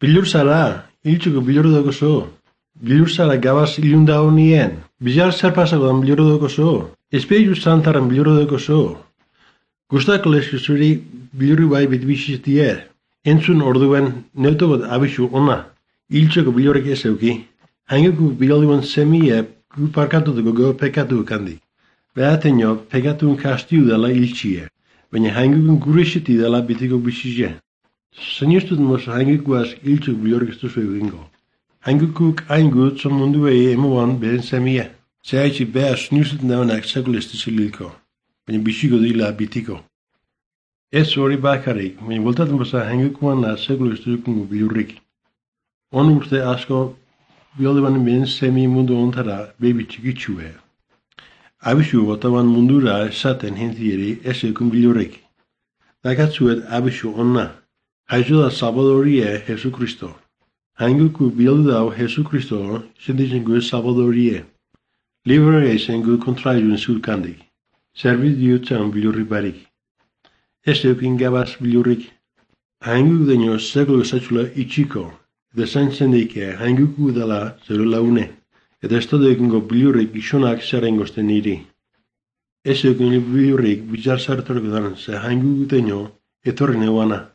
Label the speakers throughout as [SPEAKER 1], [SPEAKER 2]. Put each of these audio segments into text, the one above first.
[SPEAKER 1] Bilur zara, hiltzuko bilur daukazu. Bilur zara gabaz ilunda honien. Bizar zer pasakoan bilur daukazu. Espiritu Santaren bilur daukazu. Gustako lesko zuri bilurri bai bitbizitie. Entzun orduen neuto bat abisu ona. Hiltzuko bilurrek ez euki. Hanguko bilduan semie gu parkatutuko go pekatu kandi. Behatenio pekatun kastiu dela hiltzie. Baina hangukun gurisiti dela bitiko bizizie. Zenistut mos hangukuaz hiltzuk bilurrek ez duzu egingo. Hangukuk aingut zon munduei emoan beren semie. Zehaitzi beha snustut naunak sekulestizi lilko. Baina biziko dila bitiko. Ez hori bakarik, baina voltatzen basa hangukuan na sekulestizukungo bilurrik. On urte asko bilduan beren semi mundu ontara bebi txikitsue. Abisu botaban mundura esaten hentieri ez eukun bilurrik. Dakatzuet abisu onna. Haizu da Salvadorie Jesu Kristo. Hanguku bildu dau Jesu Kristo sentitzen gu Salvadorie. Libre eisen gu kontraizun zulkandik. Zerbit diutzen bilurrik barik. Ez eukin gabaz bilurrik. Hanguku daño seglo esatxula itxiko. Eta zaintzendike hanguku dela zeru laune. Eta ez todo ekingo bilurrik isonak zerrengozten niri. Ez eukin bilurrik bizar zartorko dan ze hanguku daño etorri neuana.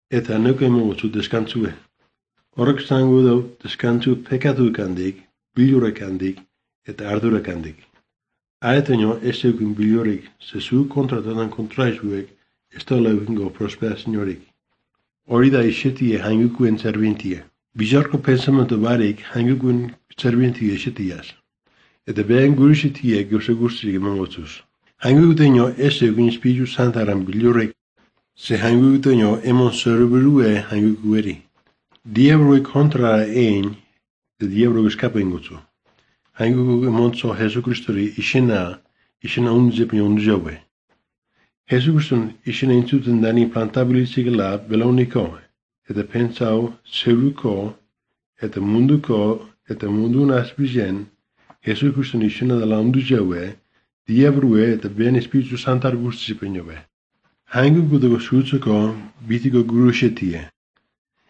[SPEAKER 1] Eta neuke emogotzu deskantzue. Horrek zango dau deskantzu pekatu kandik, bilurrek handik eta ardurek handik. Aetaino ez eukin bilurrik zezu kontratatan kontraizuek ez da leukingo prosperaziorik. Hori da isetie hangukuen zerbintie. Bizarko pensamentu barik hangukuen zerbintie isetiaz. Eta behen gurisetie gauze guztiak emangotzuz. Hangukuteino ez eukin Espiritu Santaren bilurrik ze hangukuteino emon zerberue hangukueri. Diabroi kontra ein, de diabroi eskapa ingotzu. Hanguku emontzo Jesu Kristori isena unzepin unzaue. Jesu Kriston isena intzuten dani plantabilizikela belauniko, eta pensau zeruko, eta mundun azbizen, Jesu Kriston isena dela unzaue, diabrue eta ben Espiritu Santar guztizipen jobe. Hanguku dago zutzeko bitiko gurusetie.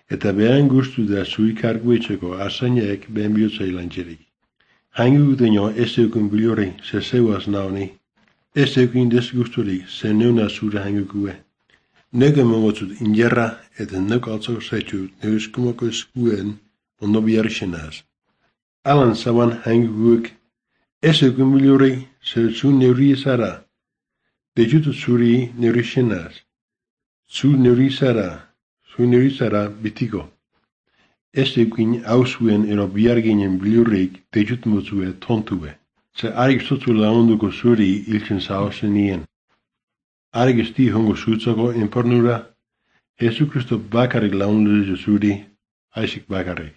[SPEAKER 1] Eta behan guztu da zuikarguetxeko arzainek behen bihotzai lantxerik. Hanguku daño ez eukun bilurri ze zeuaz naoni. Ez eukin desgusturik ze neuna zure hangukue. Neuke mongotzut injerra eta neuk altzako zaitxut neuskumako eskuen ondo biarrisenaz. Alan zaban hangukuk ez eukun bilurri ze zu neuri ezara. Dejutut zuri neurisenaz. Zu neurizara bitiko. Ez eukin hauzuen ero biarginen bilurrik dejut motzue tontue. Ze arik sotu launduko zuri iltzen zaozen nien. Arik esti hongo zutzako enpornura, Jesu Kristo bakarik laundu zuri, aisik bakarik.